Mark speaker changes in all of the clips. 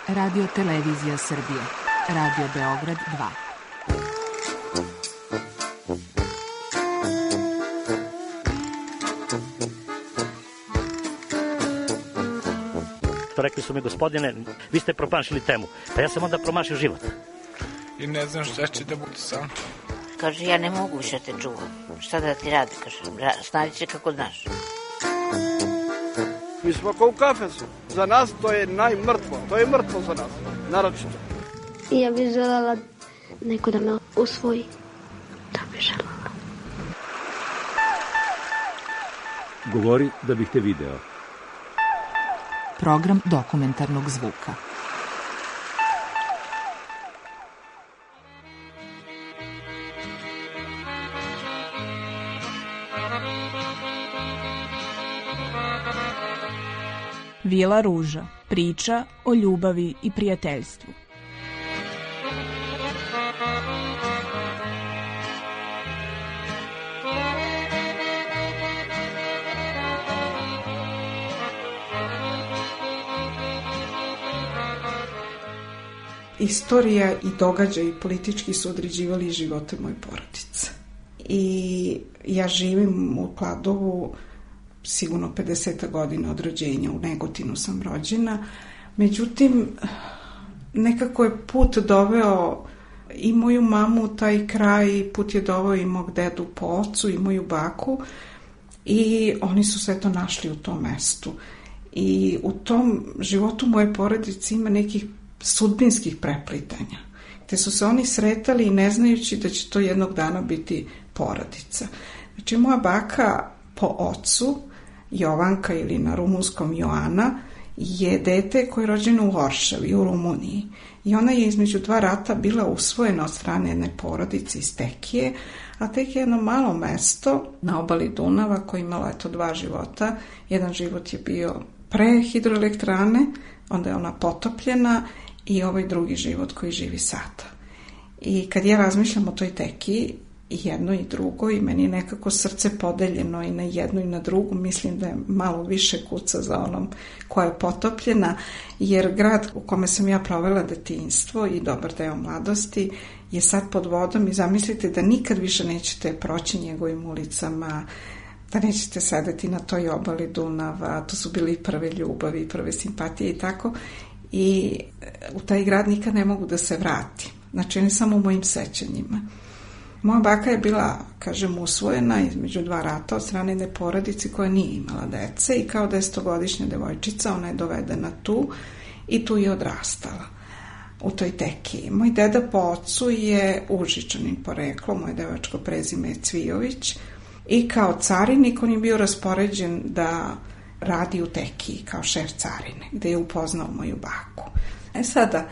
Speaker 1: Radio Televizija Srbije. Radio Beograd 2.
Speaker 2: Rekli su mi, gospodine, vi ste promašili temu. Pa ja sam onda promašio život.
Speaker 3: I ne znam šta će da bude sam.
Speaker 4: Kaže, ja ne mogu više te čuvam. Šta da ti radi, kaže, snađi se kako znaš.
Speaker 5: Mi smo kao u kafesu. Za nas to je najmrtvo. To je mrtvo za nas, naročito.
Speaker 6: Ja bih želela neko da me usvoji. Da bih želela.
Speaker 7: Govori da bih te video.
Speaker 1: Program dokumentarnog zvuka.
Speaker 8: Vila Ruža. Priča o ljubavi i prijateljstvu.
Speaker 9: Istorija i događaji politički su određivali živote moje porodice. I ja živim u Kladovu sigurno 50 godina od rođenja, u Negotinu sam rođena. Međutim, nekako je put doveo i moju mamu u taj kraj, put je doveo i mog dedu po ocu i moju baku i oni su se to našli u tom mestu. I u tom životu moje porodice ima nekih sudbinskih preplitanja, te su se oni sretali i ne znajući da će to jednog dana biti porodica. Znači, moja baka po ocu, Jovanka ili na rumunskom Joana, je dete koje je rođeno u Oršavi, u Rumuniji. I ona je između dva rata bila usvojena od strane jedne porodice iz Tekije, a Tekije je jedno malo mesto na obali Dunava koje je imalo dva života. Jedan život je bio pre hidroelektrane, onda je ona potopljena, i ovaj drugi život koji živi sada. I kad ja razmišljam o toj Tekiji, i jedno i drugo, i meni je nekako srce podeljeno i na jednu i na drugu, mislim da je malo više kuca za onom koja je potopljena, jer grad u kome sam ja provela detinjstvo i dobar deo mladosti je sad pod vodom i zamislite da nikad više nećete proći njegovim ulicama, da nećete sedeti na toj obali Dunava, to su bili prve ljubavi, prve simpatije i tako, i u taj grad nikad ne mogu da se vratim. Znači, ne samo u mojim sećanjima. Moja baka je bila, kažem, usvojena između dva rata od strane jedne porodice koja nije imala dece i kao 10-godišnja devojčica ona je dovedena tu i tu je odrastala u toj Tekiji. Moj deda po ocu je Užičanin poreklo, moje devačko prezime je Cvijović i kao carinik on je bio raspoređen da radi u Tekiji kao šef carine, gde je upoznao moju baku. Sada,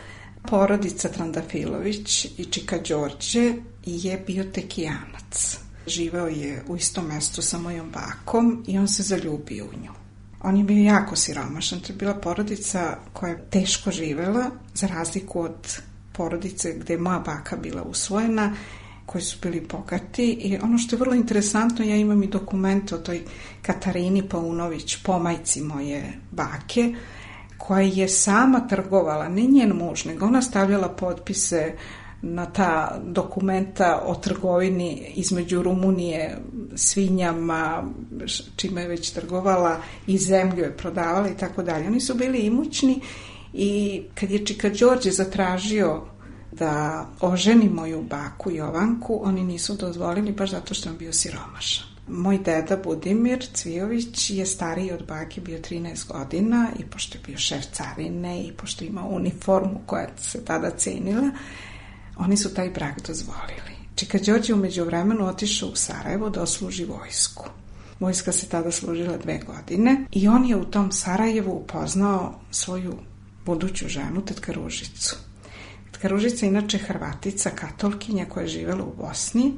Speaker 9: porodica Trandafilović i Čika Đorđe je bio Tekijanac. Živeo je u istom mestu sa mojom bakom i on se zaljubio u nju. On je bio jako siromašan, to je bila porodica koja je teško živela, za razliku od porodice gde je moja baka bila usvojena, koji su bili bogati. I ono što je vrlo interesantno, ja imam i dokumente o toj Katarini Paunović, pomajci moje bake, koja je sama trgovala, ne njen muž, nego ona stavljala potpise na ta dokumenta o trgovini između Rumunije, svinjama, čime je već trgovala, i zemlju je prodavala i tako dalje. Oni su bili imućni i kad je Čika Đorđe zatražio da oženi moju baku Jovanku, oni nisu dozvolili baš zato što je bio siromašan. Moj deda Budimir Cvijović je stariji od bake, bio 13 godina i pošto je bio šef carine i pošto ima uniformu koja se tada cenila, oni su taj brak dozvolili. Čika Đorđe u međuvremenu otišao u Sarajevo da osluži vojsku. Vojska se tada služila 2 godine i on je u tom Sarajevu upoznao svoju buduću ženu, tetka Ružicu. Tetka Ružica je inače Hrvatica, katolkinja koja je živela u Bosni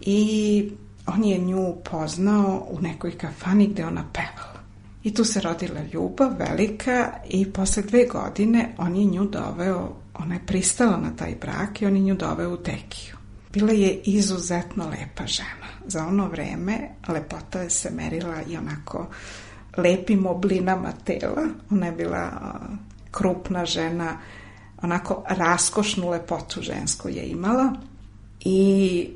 Speaker 9: i on je nju poznao u nekoj kafani gde ona pevala. I tu se rodila ljubav velika i posle 2 godine on je nju doveo, ona je pristala na taj brak i on je nju doveo u Tekiju. Bila je izuzetno lepa žena. Za ono vreme lepota je se merila i onako lepim oblinama tela. Ona je bila krupna žena, onako raskošnu lepotu žensku je imala i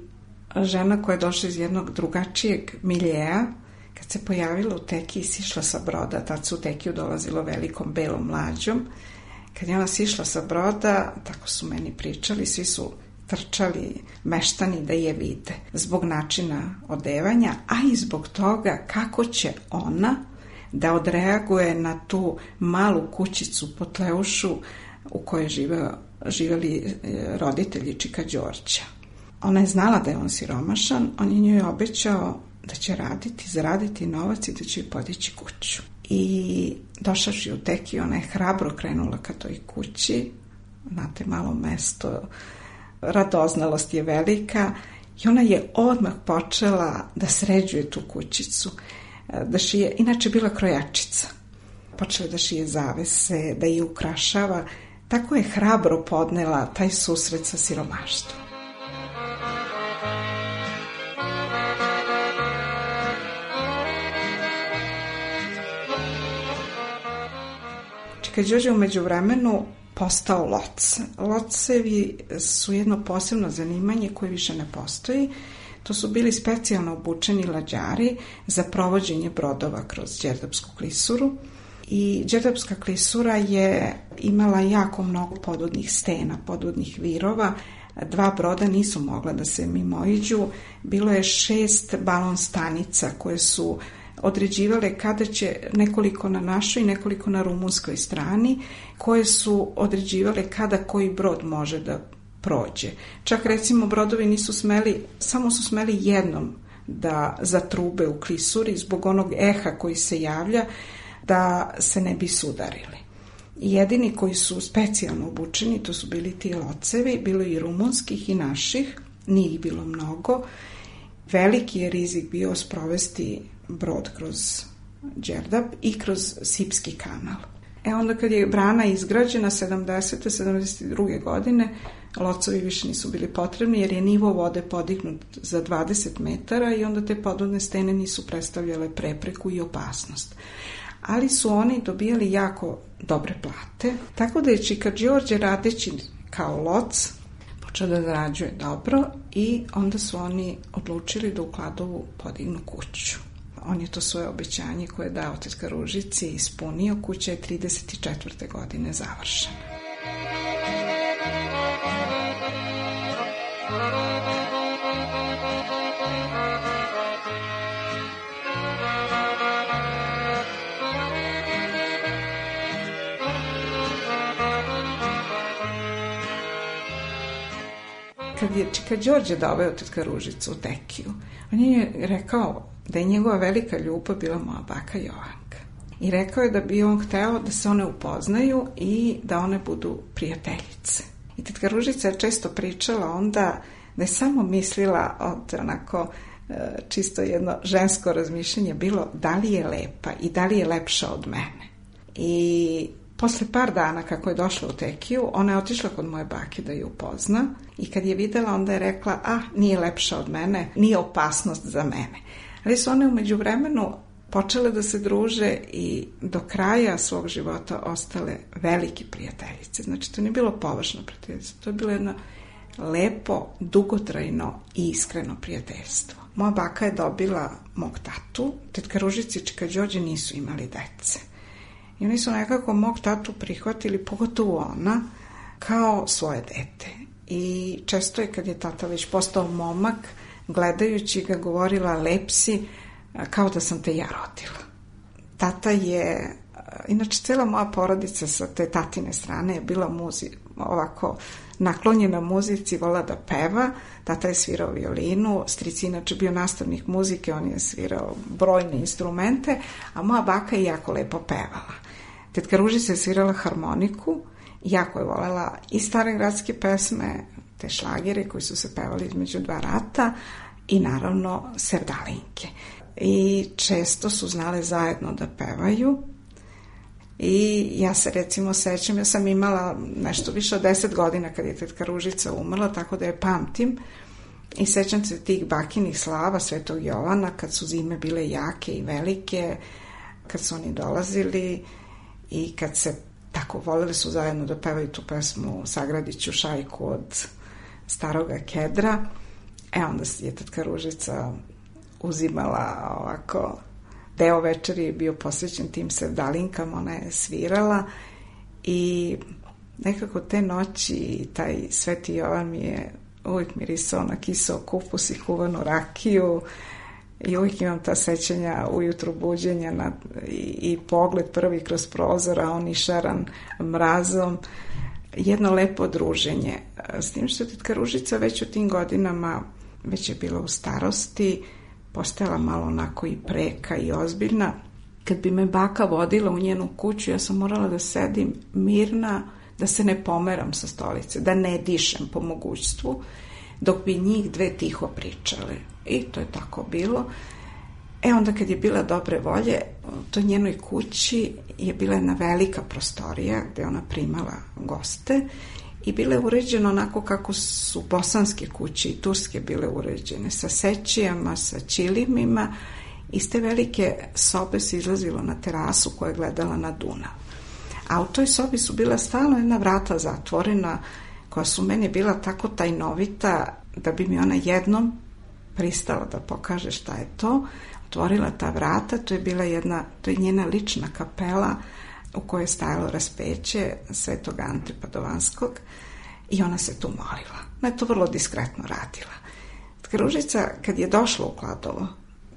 Speaker 9: žena koja je došla iz jednog drugačijeg miljeja, kad se pojavila u Tekiji, sišla sa broda, tad su u Tekiju dolazilo velikom belom mlađom, kad je ona sišla sa broda, tako su meni pričali, svi su trčali meštani da je vide, zbog načina odevanja, a i zbog toga kako će ona da odreaguje na tu malu kućicu Potleušu u kojoj živeli roditelji Čika Đorđa. Ona je znala da je on siromašan, on je njoj obećao da će raditi, zaraditi novac i da će joj podići kuću. I došavši u Tekiju, ona je hrabro krenula ka toj kući, znate, malo mesto, radoznalost je velika i ona je odmah počela da sređuje tu kućicu, da šije, inače bila krojačica. Počela da šije zavese, da je ukrašava, tako je hrabro podnela taj susret sa siromaštvom. Čika Đorđe u međuvremenu postao loc. Locevi su jedno posebno zanimanje koje više ne postoji. To su bili specijalno obučeni lađari za provođenje brodova kroz Đerdapsku klisuru. I Đerdapska klisura je imala jako mnogo podvodnih stena, podvodnih virova. 2 broda nisu mogla da se mimoiđu. Bilo je 6 balon stanica koje su određivale kada će, nekoliko na našoj i nekoliko na rumunskoj strani, koje su određivale kada koji brod može da prođe. Čak recimo brodovi nisu smeli, samo su smeli jednom da zatrube u klisuri zbog onog eha koji se javlja, da se ne bi sudarili. Jedini koji su specijalno obučeni, to su bili ti locevi, bilo i rumunskih i naših, nije ih bilo mnogo. Veliki je rizik bio sprovesti brod kroz Đerdap i kroz Sipski kanal. Onda kad je brana izgrađena 72. godine, locovi više nisu bili potrebni jer je nivo vode podignut za 20 metara i onda te podvodne stene nisu predstavljale prepreku i opasnost. Ali su oni dobijali jako dobre plate, tako da je Čika Đorđe radeći kao loc počeo da zarađuje dobro i onda su oni odlučili da u Kladovu podignu kuću. On je to svoje obećanje koje je dao tetka Ružici ispunio, kuća je 34. godine završena. Kad je Čika Đorđe doveo tetka Ružicu u Tekiju, on je rekao da je njegova velika ljubav bila moja baka Jovanka. I rekao je da bi on hteo da se one upoznaju i da one budu prijateljice. I tetka Ružica je često pričala onda da je samo mislila od onako čisto jedno žensko razmišljanje bilo da li je lepa i da li je lepša od mene. I posle par dana kako je došla u Tekiju, ona je otišla kod moje bake da ju upozna i kad je videla onda je rekla, nije lepša od mene, nije opasnost za mene. Ali su one u međuvremenu počele da se druže i do kraja svog života ostale veliki prijateljice. Znači to nije bilo površno prijateljstvo, to je bilo jedno lepo, dugotrajno i iskreno prijateljstvo. Moja baka je dobila mog tatu, tetka Ružica i Čika Đorđe nisu imali dece. I oni su nekako mog tatu prihvatili, pogotovo ona, kao svoje dete. I često je kad je tata već postao momak, gledajući ga govorila lep si, kao da sam te ja rodila. Tata je, inače cela moja porodica sa te tatine strane je bila ovako naklonjena muzici, vola da peva. Tata je svirao violinu, stric je inače bio nastavnik muzike, on je svirao brojne instrumente, a moja baka je jako lepo pevala. Tetka Ružica je svirala harmoniku, jako je volela i stare gradske pesme, te šlagere koji su se pevali između 2 rata i naravno sevdalinke. I često su znale zajedno da pevaju i ja se recimo sećam, ja sam imala nešto više od 10 godina kad je tetka Ružica umrla, tako da je pamtim i sećam se tih bakinih slava Svetog Jovana kad su zime bile jake i velike, kad su oni dolazili i kad se ta tako, voleli su zajedno da pevaju tu pesmu Sagradit ću šajku od Staroga Kedra. Onda je tetka Ružica uzimala ovako, deo večeri je bio posvećen tim sevdalinkama, ona je svirala i nekako te noći taj Sveti Jovan mi je uvijek mirisao na kiseo kupus i kuvanu rakiju i uvijek imam ta sećanja ujutru buđenja i pogled prvi kroz prozor, a on išaran mrazom. Jedno lepo druženje. S tim što je tetka Ružica već u tim godinama, već je bila u starosti, postajala malo onako i preka i ozbiljna. Kad bi me baka vodila u njenu kuću, ja sam morala da sedim mirna, da se ne pomeram sa stolice, da ne dišem po mogućstvu, dok bi njih dve tiho pričale. I to je tako bilo. Onda kad je bila dobre volje, u toj njenoj kući je bila jedna velika prostorija gde ona primala goste i bila je uređena onako kako su bosanske kuće i turske bile uređene, sa sećijama, sa ćilimima. Iz te velike sobe se izlazilo na terasu koja je gledala na Dunav. A u toj sobi su bila stalno jedna vrata zatvorena, koja su meni bila tako tajnovita da bi mi ona jednom pristala da pokaže šta je to. Otvorila ta vrata, to je njena lična kapela u kojoj je stajalo raspeće Svetog Ante Padovanskog i ona se tu molila. Ona je to vrlo diskretno radila. Tetka Ružica, kad je došla u Kladovo,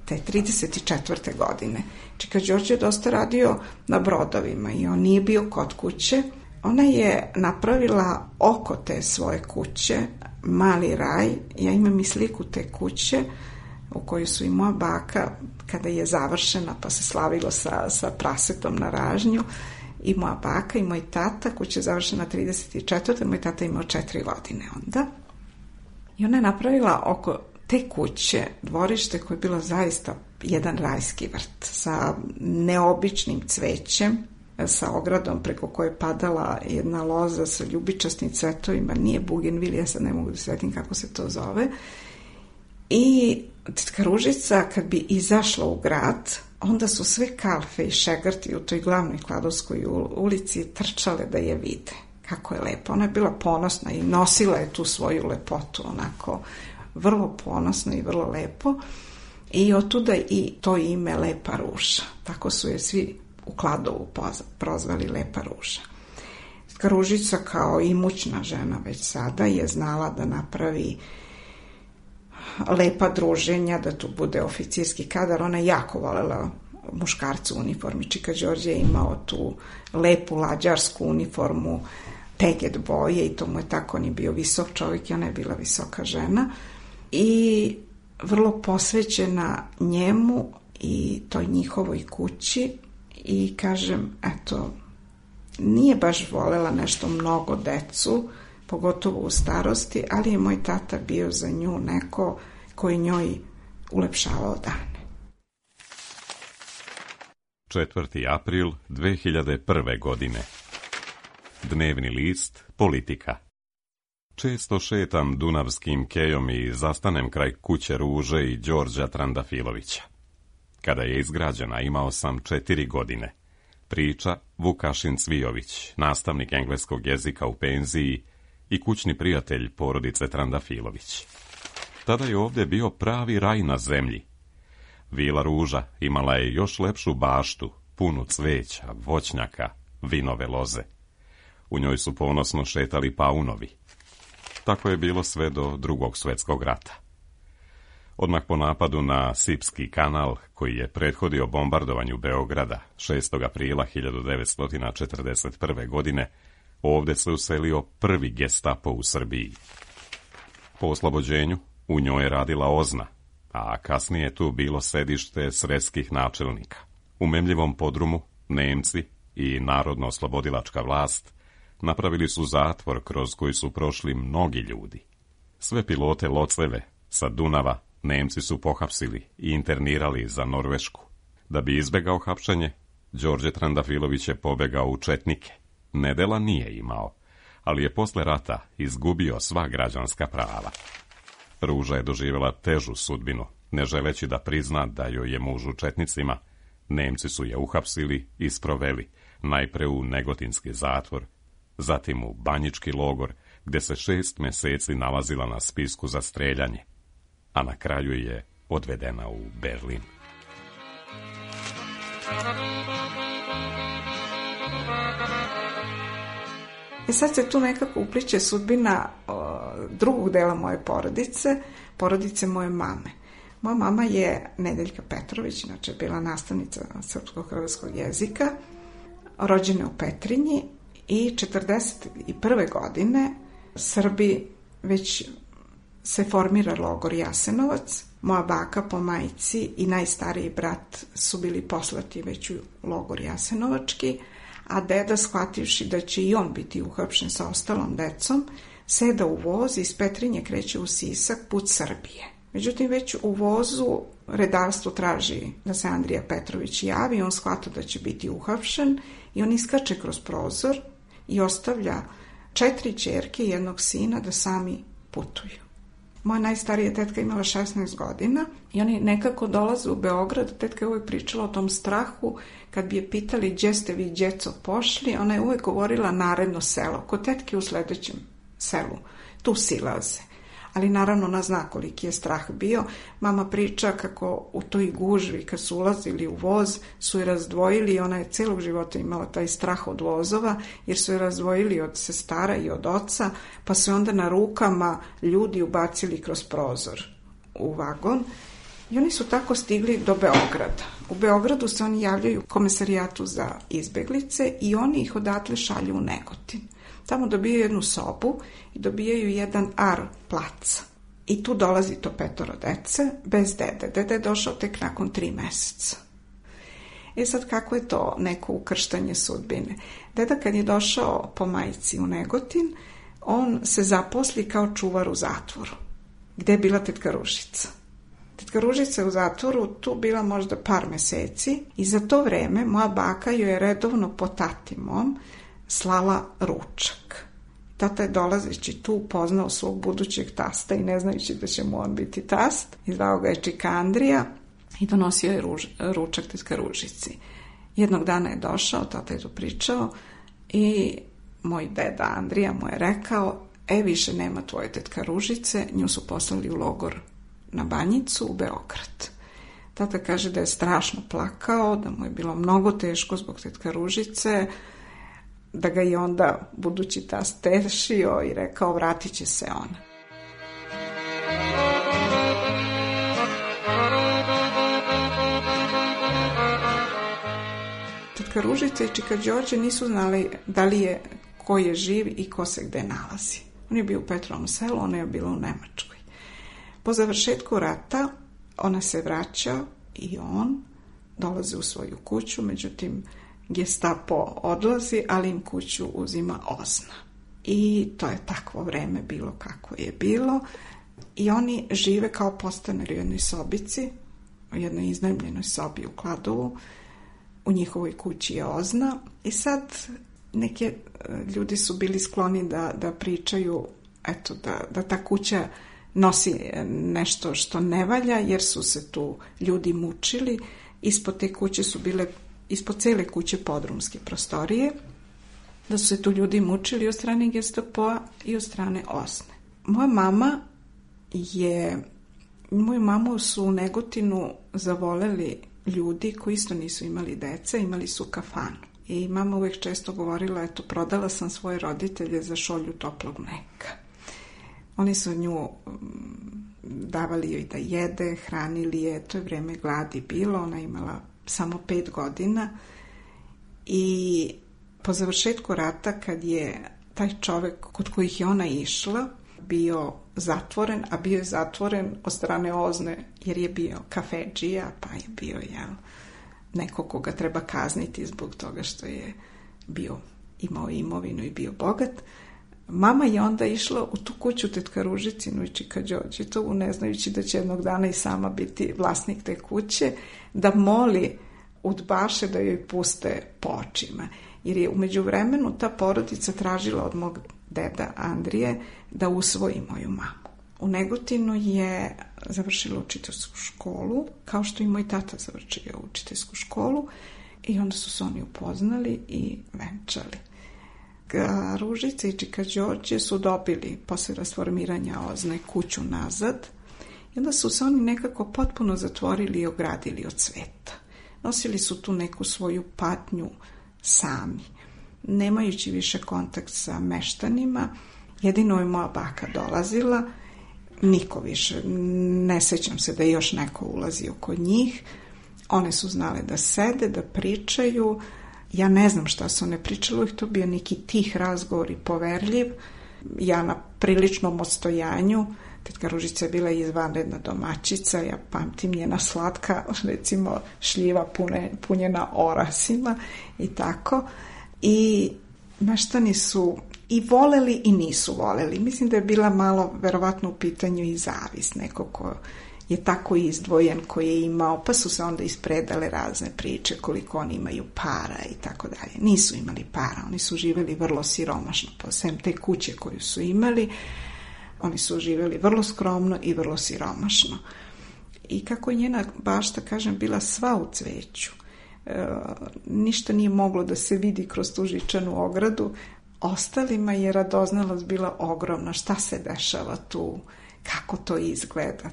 Speaker 9: te 34. godine, čeka Đorđe je dosta radio na brodovima i on nije bio kod kuće, ona je napravila oko te svoje kuće mali raj. Ja imam i sliku te kuće u kojoj su i moja baka, kada je završena pa se slavilo sa prasetom na ražnju, i moja baka i moj tata, kuća je završena 34. Moj tata imao 4 godine onda. I ona je napravila oko te kuće dvorište koje je bilo zaista jedan rajski vrt sa neobičnim cvećem, sa ogradom preko koje je padala jedna loza sa ljubičastim cvetovima, nije bugenvil, ja sad ne mogu da svetim kako se to zove. I tetka Ružica kad bi izašla u grad, onda su sve kalfe i šegrti u toj glavnoj Kladovskoj ulici trčale da je vide kako je lepo. Ona je bila ponosna i nosila je tu svoju lepotu onako vrlo ponosno i vrlo lepo, i otuda i to ime Lepa Ruža. Tako su je svi u Kladovu prozvali Lepa Ruža. Tetka Ružica kao imućna žena već sada je znala da napravi lepa druženja, da tu bude oficirski kadar. Ona je jako volela muškarcu u uniformi. Čika Đorđe je imao tu lepu lađarsku uniformu teget boje i to mu je tako, on je bio visok čovjek i ona je bila visoka žena i vrlo posvećena njemu i toj njihovoj kući. I kažem, eto, nije baš volela nešto mnogo decu, pogotovo u starosti, ali je moj tata bio za nju neko koji njoj ulepšavao dane.
Speaker 10: 4. april 2001. godine. Dnevni list Politika. Često šetam dunavskim kejom i zastanem kraj kuće Ruže i Đorđa Trandafilovića. Kada je izgrađena, imao sam 4 godine. Priča Vukašin Cvijović, nastavnik engleskog jezika u penziji i kućni prijatelj porodice Trandafilović. Tada je ovdje bio pravi raj na zemlji. Vila Ruža imala je još lepšu baštu, punu cveća, voćnjaka, vinove loze. U njoj su ponosno šetali paunovi. Tako je bilo sve do Drugog svjetskog rata. Odmah po napadu na Sipski kanal, koji je prethodio bombardovanju Beograda 6. aprila 1941. godine, ovdje se uselio prvi Gestapo u Srbiji. Po oslobođenju u njoj je radila OZNA, a kasnije je tu bilo sedište sredskih načelnika. U memljivom podrumu Nemci i narodno-oslobodilačka vlast napravili su zatvor kroz koji su prošli mnogi ljudi. Sve pilote loceve sa Dunava Nemci su pohapsili i internirali za Norvešku. Da bi izbegao hapšenje, Đorđe Trandafilović je pobegao u četnike. Nedela nije imao, ali je posle rata izgubio sva građanska prava. Ruža je doživjela težu sudbinu, ne želeći da prizna da joj je muž u četnicima. Nemci su je uhapsili i sproveli, najpre u Negotinski zatvor, zatim u Banjički logor, gde se 6 meseci nalazila na spisku za streljanje, a na kraju je odvedena u Berlin.
Speaker 9: I sad se tu nekako upliče sudbina drugog dela moje porodice moje mame. Moja mama je Nedeljka Petrović, inače bila nastavnica srpsko-hrvatskog jezika, rođena u Petrinji i 1941. godine Srbi već se formira logor Jasenovac. Moja baka po majci i najstariji brat su bili poslati već u logor Jasenovački, a deda, shvativši da će i on biti uhapšen sa ostalom decom, seda u voz i iz Petrinje kreće u Sisak, put Srbije. Međutim, već u vozu redarstvo traži da se Andrija Petrović javi, on shvata da će biti uhapšen i on iskače kroz prozor i ostavlja 4 ćerke i 1 sina da sami putuju. Moja najstarija tetka imala 16 godina i oni nekako dolaze u Beograd. Tetka je uvijek pričala o tom strahu. Kad bi je pitali gdje ste vi, djeco, pošli, ona je uvijek govorila naredno selo. Kod tetke u sljedećem selu. Tu silaze. Ali naravno ona zna koliki je strah bio. Mama priča kako u toj gužvi kad su ulazili u voz su je razdvojili i ona je celog života imala taj strah od vozova jer su je razdvojili od sestara i od oca, pa su onda na rukama ljudi ubacili kroz prozor u vagon i oni su tako stigli do Beograda. U Beogradu se oni javljaju Komesarijatu za izbeglice i oni ih odatle šalju u Negotin. Tamo dobijaju 1 sobu i dobijaju 1 ar placa. I tu dolazi to 5 dece, bez dede. Dede je došao tek nakon 3 meseca. Sad kako je to neko ukrštanje sudbine? Deda kad je došao po majci u Negotin, on se zaposli kao čuvar u zatvoru. Gde je bila tetka Ružica? Tetka Ružica je u zatvoru tu bila možda par meseci i za to vreme moja baka joj je redovno po tati mom slala ručak. Tata je dolazeći tu upoznao svog budućeg tasta i ne znajući da će mu on biti tast, i zvao ga je Čika Andrija i donosio je ručak tetka Ružici. Jednog dana je došao, tata je to pričao i moj deda Andrija mu je rekao: više nema tvoje tetka Ružice, nju su poslali u logor na Banjicu u Beograd. Tata kaže da je strašno plakao, da mu je bilo mnogo teško zbog tetka Ružice, da ga je onda budući tast tešio i rekao vratit će se ona. Tetka Ružica i Čika Đorđe nisu znali da li je ko je živ i ko se gde nalazi. On je bio u Petrovom selu, ona je bila u Nemačkoj. Po završetku rata ona se vraća i on dolazi u svoju kuću, međutim Gestapo odlazi, ali im kuću uzima OZNA. I to je takvo vreme bilo kako je bilo. I oni žive kao podstanari u jednoj sobici, u jednoj iznajmljenoj sobi u Kladovu. U njihovoj kući je OZNA. I sad neke ljudi su bili skloni da pričaju eto, da ta kuća nosi nešto što ne valja, jer su se tu ljudi mučili. Ispod te kuće su bile, ispod cele kuće podrumske prostorije, da su se tu ljudi mučili od strane Gestapoa i od strane OZNE. Moju mamu su u Negotinu zavoleli ljudi koji isto nisu imali dece, imali su kafanu. I mama uvijek često govorila, eto, prodala sam svoje roditelje za šolju toplog mleka. Oni su nju davali joj da jede, hranili je, to je vreme gladi bilo, ona imala samo 5 godina i po završetku rata, kad je taj čovjek kod kojih je ona išla bio zatvoren, a bio je zatvoren od strane OZNE jer je bio kafedžija, pa je bio neko koga treba kazniti zbog toga što je imao imovinu i bio bogat. Mama je onda išla u tu kuću tetka Ružicinu i Čika Đorđetovu, ne znajući da će jednog dana i sama biti vlasnik te kuće, da moli udbaše da joj puste po očima. Jer je u međuvremenu ta porodica tražila od mog deda Andrije da usvoji moju mamu. U Negotinu je završila učiteljsku školu, kao što i moj tata završio učiteljsku školu. I onda su se oni upoznali i venčali. Ružica i čika Đorđe su dobili posle rasformiranja OZNA kuću nazad i onda su se oni nekako potpuno zatvorili i ogradili od sveta. Nosili su tu neku svoju patnju sami, nemajući više kontakt sa meštanima. Jedino je moja baka dolazila, niko više, ne sećam se da je još neko ulazio kod njih. One su znale da sede, da pričaju. Ja ne znam šta su one pričali, to bio neki tih razgovor i poverljiv. Ja na priličnom odstojanju, tetka Ružica je bila izvanredna domaćica, ja pamtim njena slatka, recimo šljiva punjena orasima i tako. I meštani su i voleli i nisu voleli. Mislim da je bila malo verovatno u pitanju i zavis, neko ko je tako izdvojen, koji je imao, pa su se onda ispredale razne priče koliko oni imaju para i tako dalje. Nisu imali para, oni su živjeli vrlo siromašno, posebno te kuće koju su imali, oni su živjeli vrlo skromno i vrlo siromašno. I kako je njena bašta, kažem, bila sva u cveću, ništa nije moglo da se vidi kroz tu žičanu ogradu, ostalima je radoznalost bila ogromna, šta se dešava tu, kako to izgleda.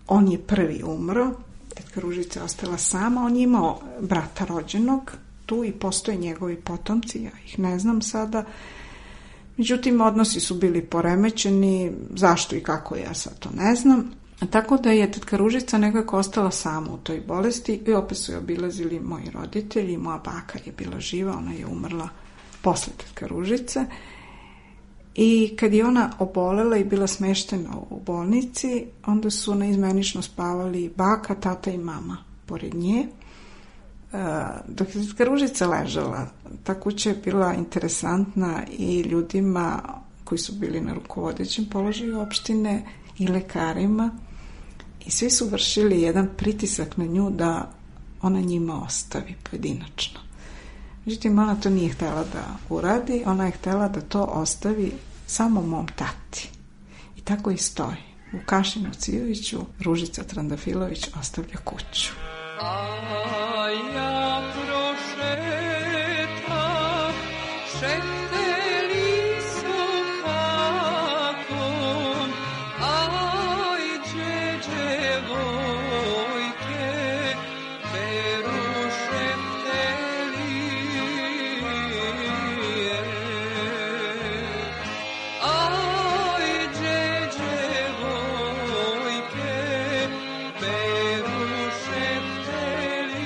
Speaker 9: On je prvi umro, tetka Ružica je ostala sama, on je imao brata rođenog tu i postoje njegovi potomci, ja ih ne znam sada. Međutim, odnosi su bili poremećeni, zašto i kako ja sad to ne znam. Tako da je tetka Ružica nekako ostala sama u toj bolesti i opet su je obilazili moji roditelji, moja baka je bila živa, ona je umrla posle tetka Ružice. I kad je ona obolela i bila smeštena u bolnici, onda su naizmenično spavali baka, tata i mama pored nje. Dok je tetka Ružica ležala, ta kuća je bila interesantna i ljudima koji su bili na rukovodećem položaju opštine i lekarima i svi su vršili jedan pritisak na nju da ona njima ostavi pojedinačno. Međutim, ona to nije htjela da uradi, ona je htjela da to ostavi samo mom tati. I tako i stoji. U Kašinu Cijoviću Ružica Trandafilović ostavlja kuću.
Speaker 11: A ja prošetam, šeteli su hakom, aj džeđe vojke, beru šeteli. Aj džeđe vojke, beru šeteli.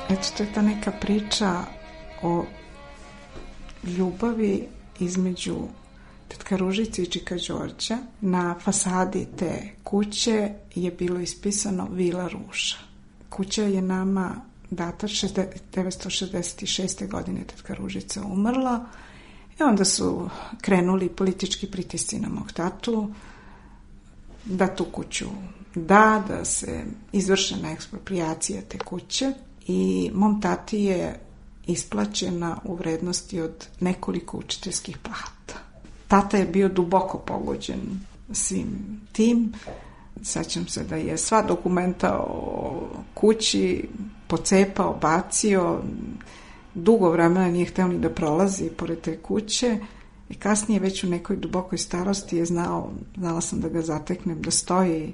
Speaker 9: Eto, to je ta neka priča o ljubavi između tetka Ružice i čika Đorđa. Na fasadi te kuće je bilo ispisano Vila Ruža. Kuća je nama data 1966. godine, tetka Ružica umrla i onda su krenuli politički pritisci na mog tatu da tu kuću da se izvršena eksproprijacija te kuće i mom tati je isplaćena u vrednosti od nekoliko učiteljskih plata. Tata je bio duboko pogođen svim tim. Sećam se da je sva dokumenta o kući pocepao, bacio, dugo vremena nije hteo ni da prolazi pored te kuće i kasnije već u nekoj dubokoj starosti je znala sam da ga zateknem da stoji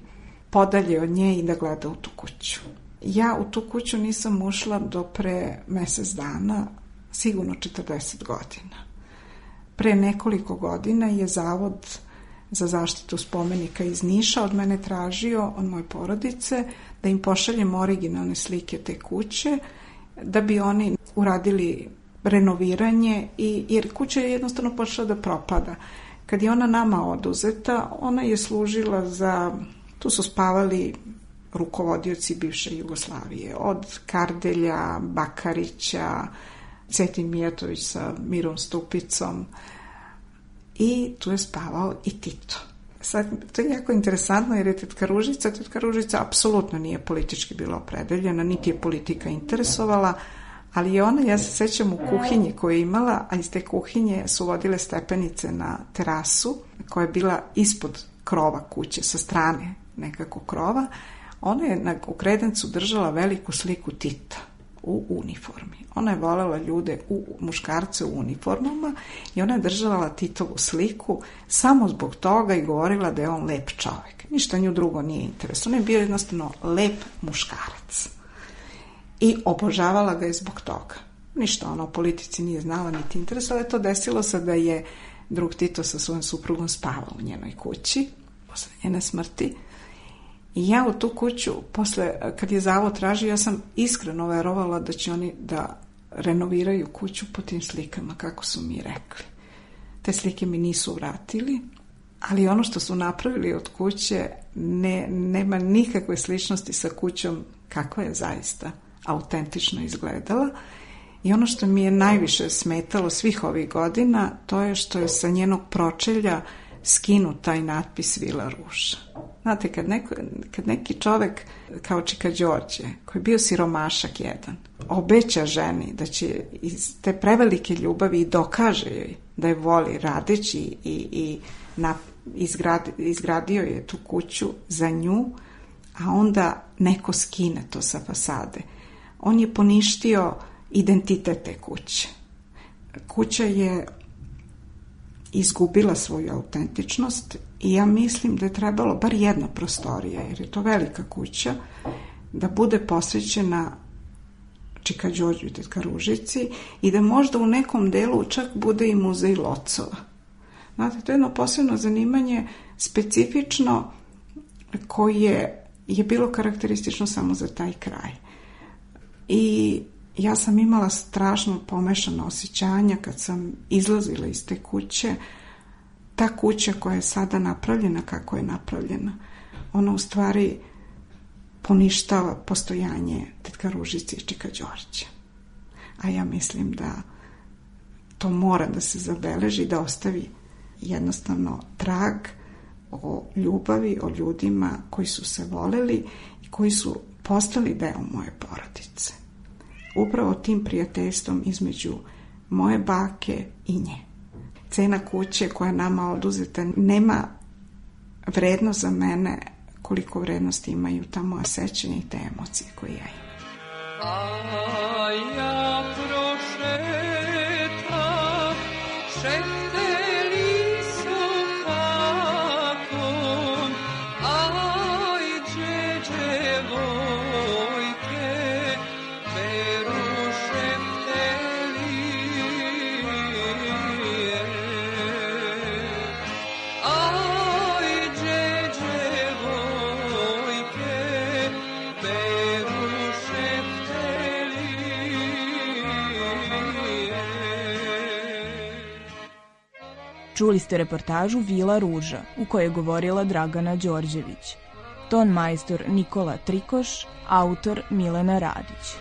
Speaker 9: podalje od nje i da gleda u tu kuću. Ja u tu kuću nisam ušla do pre mesec dana, sigurno 40 godina. Pre nekoliko godina je Zavod za zaštitu spomenika iz Niša od mene tražio, od moje porodice, da im pošaljem originalne slike te kuće, da bi oni uradili renoviranje, jer kuća je jednostavno počela da propada. Kad je ona nama oduzeta, ona je služila za, tu su spavali rukovodioci bivše Jugoslavije, od Kardelja, Bakarića, Cetin Mijatović sa Mirom Stupicom i tu je spavao i Tito. Sad, to je jako interesantno jer je tetka Ružica apsolutno nije politički bila opredeljena, niti je politika interesovala, ali je ona, ja se sećam u kuhinji koju je imala, a iz te kuhinje su vodile stepenice na terasu koja je bila ispod krova kuće, sa strane nekako krova, ona je u kredencu držala veliku sliku Tita u uniformi. Ona je voljela ljude, muškarce u uniformama i ona je držala Titovu sliku samo zbog toga i govorila da je on lep čovjek. Ništa nju drugo nije interesno. On je bio jednostavno lep muškarac. I obožavala ga je zbog toga. Ništa ona o politici nije znala niti interesovala. To desilo se da je drug Tito sa svojom suprugom spavao u njenoj kući posle njene smrti. I ja u tu kuću, posle, kad je zavod tražio, ja sam iskreno verovala da će oni da renoviraju kuću po tim slikama, kako su mi rekli. Te slike mi nisu vratili, ali ono što su napravili od kuće nema nikakve sličnosti sa kućom kakva je zaista autentično izgledala. I ono što mi je najviše smetalo svih ovih godina, to je što je sa njenog pročelja skinut taj natpis Vila Ruža. Znate, kad neki čovek kao Čika Đorđe, koji je bio siromašak jedan, obeća ženi da će iz te prevelike ljubavi i dokaže joj da je voli radeći i izgradio je tu kuću za nju, a onda neko skine to sa fasade. On je poništio identitet te kuće. Kuća je izgubila svoju autentičnost i ja mislim da je trebalo bar jedna prostorija, jer je to velika kuća, da bude posvećena Čika Đorđu i Tetka Ružici i da možda u nekom delu čak bude i muzej Locova. Znate, to je jedno posebno zanimanje, specifično, koje je bilo karakteristično samo za taj kraj. I ja sam imala strašno pomešana osjećanja kad sam izlazila iz te kuće. Ta kuća koja je sada napravljena kako je napravljena, ona u stvari poništava postojanje Tetka Ružice i Čika Đorđe. A ja mislim da to mora da se zabeleži, da ostavi jednostavno trag o ljubavi, o ljudima koji su se voleli i koji su postali deo moje porodice. Upravo tim prijateljstvom između moje bake i nje. Cena kuće koja je nama oduzeta nema vrednost za mene koliko vrednosti imaju ta moja sećanja i te emocije koje ja imam.
Speaker 11: A ja prošetam, šehteli su hakom, aj djevojke, beru šehteli. Aj djevojke, beru šehteli.
Speaker 8: Čuli ste reportažu Vila Ruža, u kojoj je govorila Dragana Đorđević. Ton majstor Nikola Trikoš, autor Milena Radić.